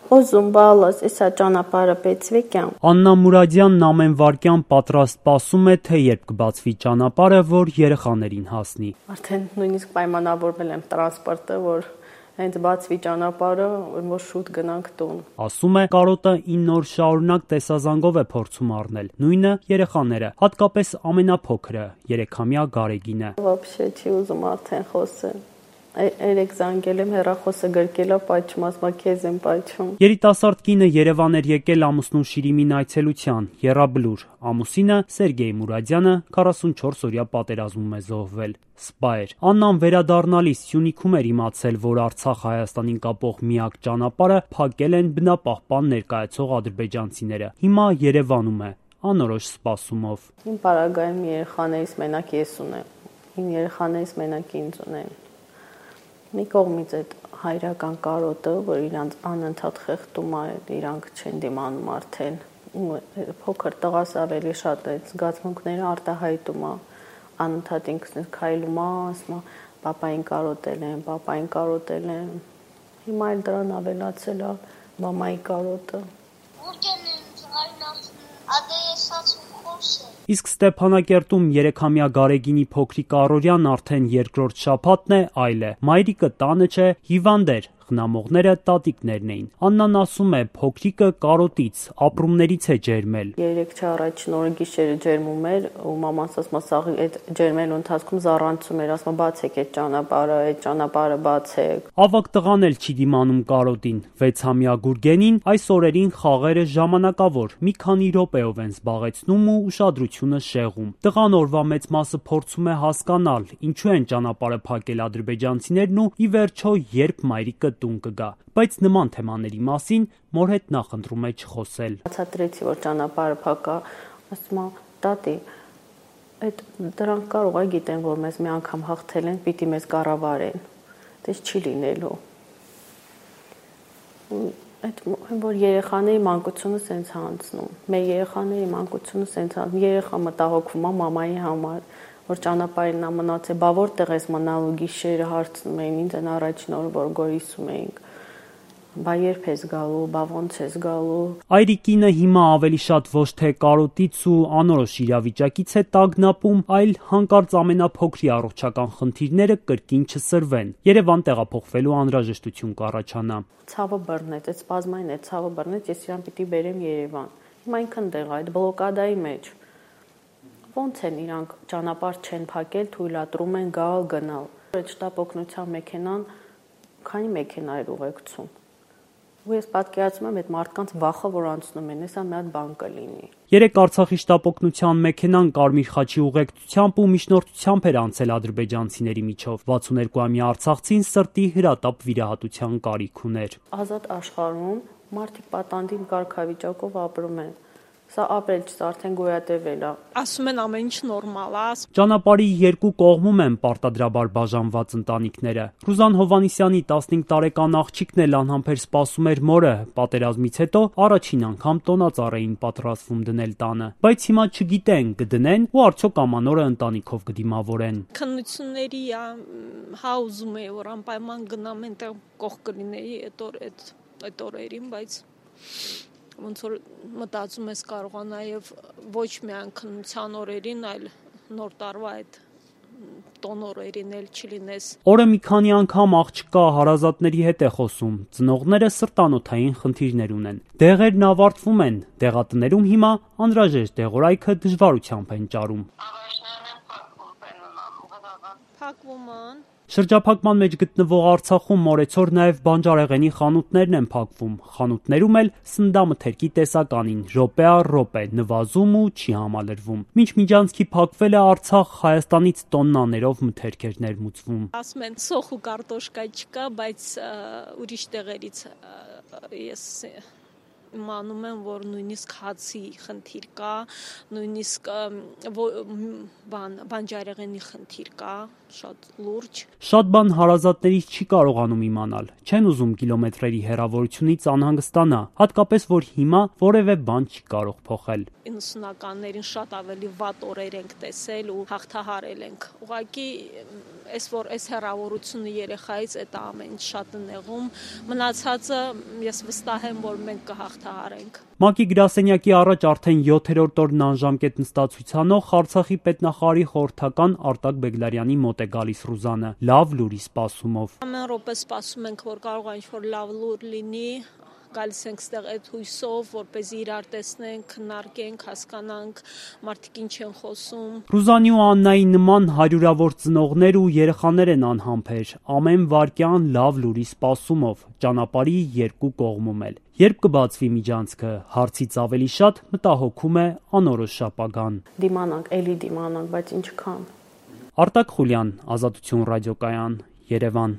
Ուզում բալաս, եսա ճանապարհը բեցվի կյամ։ Աննա Մուրադյանն ամեն վարքյան պատրաստ սպասում է, թե երբ կբացվի ճանապարհը, որ երեխաներին հասնի։ Արդեն նույնիսկ պայմանավորվել եմ տրանսպորտը, որ հենց բացվի ճանապարհը, որ շուտ գնանք տուն։ Ասում է, կարոտը 9 օր շարունակ տեսազանգով է փորձում առնել, նույնը երեխաները, հատկապես ամենափոքրը, 3-ամյա Գարեգինը։ Вообще չի ուզում արդեն խոսել։ Երեք զանգել եմ, հեռախոսը գրկելա, պայթում, ասма քեզ եմ պայթում։ Երիտասարդ կինը Երևան էր եկել ամուսնու Շիրիմին այցելության, եռաբլուր, ամուսինը Սերգեյ Մուրադյանը 44-օրյա պատերազմում է զոհվել, սպա էր։ Աննան վերադառնալիս Սյունիքում էր իմացել, որ Արցախ-Հայաստանին կապող միակ ճանապարհը փակել են բնապահպան ներկայացող ադրբեջանցիները։ Հիմա Երևանում է, անորոշ սպասումով։ Իմ պարագայում երեխաներից մենակ ես ունեմ, իմ երեխաներից մենակ ինձ ունեն։ Մի կողմից այդ հայրական կարոտը, որ իրանց անընդհատ խեղդում է, իրանք չեն դիմանում արդեն, փոքր տղաս ավելի շատ այդ զգացմունքները արտահայտում է, անընդհատ ինքս քայլում է, ասում է, պապային կարոտել են, հիմա էլ դրան ավելացել է մամայի կարոտը։ Իսկ Ստեփանակերտում 3-ամյա Գարեգինի փոքրիկ առօրյան արդեն երկրորդ շաբաթն է, այլ է։ Մայրիկը տանը չէ, հիվանդ էր, խնամողները տատիկներն էին։ Աննան ասում է, փոքրիկը կարոտից, ապրումներից է ջերմել։ 3 առաջին օրը գիշերը ջերմում էր, ու մաման ասում է, այդ ջերմելու ընթացքում զառանցում էր, ասում է, բացեք այդ ճանապարհը բացեք։ Ավագ տղան էլ չի դիմանում կարոտին։ 6-ամյա Գուրգենին այս օրերին խաղերը ժամանակավոր, մի քանի րոպեով են զբաղեցնում ու ուշադրությունը շեղում։ Տղան օրվա մեծ մասը փորձում է հասկանալ, ինչու են ճանապարհը փակել ադրբեջանցիներն ու ի վերջո երբ մայրիկը տուն կգա, բայց նման թեմաների մասին մոր հետ նախընտրում է չխոսել։ Բացատրեցի, որ ճանապարհը փակա, ասում է, տատի, այդ դրանք կարող է գիտեն, որ մեզ մի անգամ հաղթել են, պիտի մեզ կառավարեն, դες չի լինելու։ Այդ որ երեխաների մանկությունը սենց անցնում, մեր երեխաների մանկությունը սենց անցնում, երեխա մտահոգվում է մամայի համար, որ ճանապարհին նա մնացել, բա որտեղ ես մնալու, գիշերը հարցնում էին ինձ այն առաջին օրը, որ գորիսում էինք, բա երբ ես գալու, բա ոնց ես գալու։ Այրիկինը հիմա ավելի շատ ոչ թե կարոտից ու անորոշ իրավիճակից է տագնապում, այլ հանկարծ ամենափոքրի առողջական խնդիրները կրկին չսրվեն, Երևան տեղափոխվելու անհրաժեշտություն կառաջանա։ Ցավը բռնեց, այդ սպազմային այդ ցավը բռնեց, ես իրան պիտի բերեմ Երևան։ Հիմա ինքն դեղ այդ բլոկադայի մեջ։ Ոնց են իրանք ճանապարհ չեն փակել, թույլատրում են գալ, գնալ։ Այդ շտապ օգնության մեքենան քանի մեքենա էր ուղեկցում։ Ու ես պատկերացնում եմ այդ մարդկանց վախը, որ անցնում են, հեսա մի հատ բան կլինի։ Երեք Արցախի շտապ օգնության մեքենան Կարմիր խաչի ուղեկցությամբ ու միջնորդությամբ էր անցել ադրբեջանցիների միջով։ 62-ամյա արցախցին սրտի հրատապ վիրահատության կարիք ուներ։ Ազատ աշխարհում մարդիկ պատանդին կարգավիճակով ապրում են։ Սա ապրել չի, արդեն գոյատևել է։ Ասում են ամեն ինչ նորմալ է։ Ճանապարհի երկու կողմում են պարտադրաբար բաժանված ընտանիքները։ Ռուզան Հովանիսյանի 15 տարեկան աղջիկն էլ անհամբեր սպասում էր մորը, պատերազմից հետո առաջին անգամ տոնածառ էին պատրաստվում դնել տանը, բայց հիմա չգիտեն կդնեն ու արդյոք ամանորը ընտանիքով կդիմավորեն։ Քննությունների հա ուզում էի որ անպայման գնամ այնտեղ կողք կլինեի այդ օրերին, բայց ոնց որ մտածում ես կարողա նաև ոչ միայն քննության օրերին, այլ նոր տարվա այդ տոն օրերին էլ չլինես։ Օրը մի քանի անգամ աղջկա հարազատների հետ է խոսում, ծնողները սրտանոթային խնդիրներ ունեն։ Դեղերն ավարտվում են, դեղատներում հիմա անհրաժեշտ դեղորայքը դժվարությամբ են ճարում։ Փակվում են։ Շրջափակման մեջ գտնվող Արցախում մորեցօր նաև բանջարեղենի խանութներն են փակվում, խանութներում էլ սննդամթերքի տեսականին, րոպե առ րոպե, նվազում ու չի համալրվում։ Մինչ միջանցքի փակվելը Արցախ Հայաստանից տոննաներով մթերք էր ներմուծվում։ Ասում են սոխ ու կարտոշկա չկա, բայց ուրիշ տեղերից ես իմանում եմ, որ նույնիսկ հացի խնդիր կա, նույնիսկ բանջարեղենի խնդիր կա, շատ լուրջ։ Շատ բան հարազատներից չի կարողանում իմանալ, չեն ուզում կիլոմետրերի հեռավորությունից անհանգստանա, հատկապես որ հիմա որևէ բան չի կարող փոխել։ 90-ականներին շատ ավելի վատ օրեր ենք տեսել ու հաղթահարել ենք։ Ուղղակի որ այս հեռավորությունը երեխայից այդ ամեն ինչ շատ է նեղում, մնացածը ես վստահ եմ, որ մենք կհաղթահարենք։ ՄԱԿ-ի գրասենյակի առաջ արդեն 7-րդ օրն անժամկետ նստած ցուցանող Արցախի պետնախարարի խորհրդական Արտակ Բեգլարյանի մոտ է գալիս Ռուզանը, լավ լուրի սպասումով։ Ամեն րոպե սպասում ենք, որ կարող է ինչ-որ լավ լուր լինի, գալիս ենք ստեղ այդ հույսով, որպեսզի իրար տեսնենք, քննարկենք, հասկանանք, մարդիկ ինչ են խոսում։ Ռուզանի ու Աննայի նման հարյուրավոր ծնողներ ու երեխաներ են անհամբեր, ամեն վայրկյան լավ լուրի սպասումով, ճանապարհի երկու կողմում էլ։ Երբ կբացվի միջանցքը, հարցից ավելի շատ մտահոգում է անորոշ ապագան։ Դիմանանք, էլի դիմանանք, բայց ինչքան։ Արտակ Խուլյան, Ազատություն ռադիոկայան, Երևան։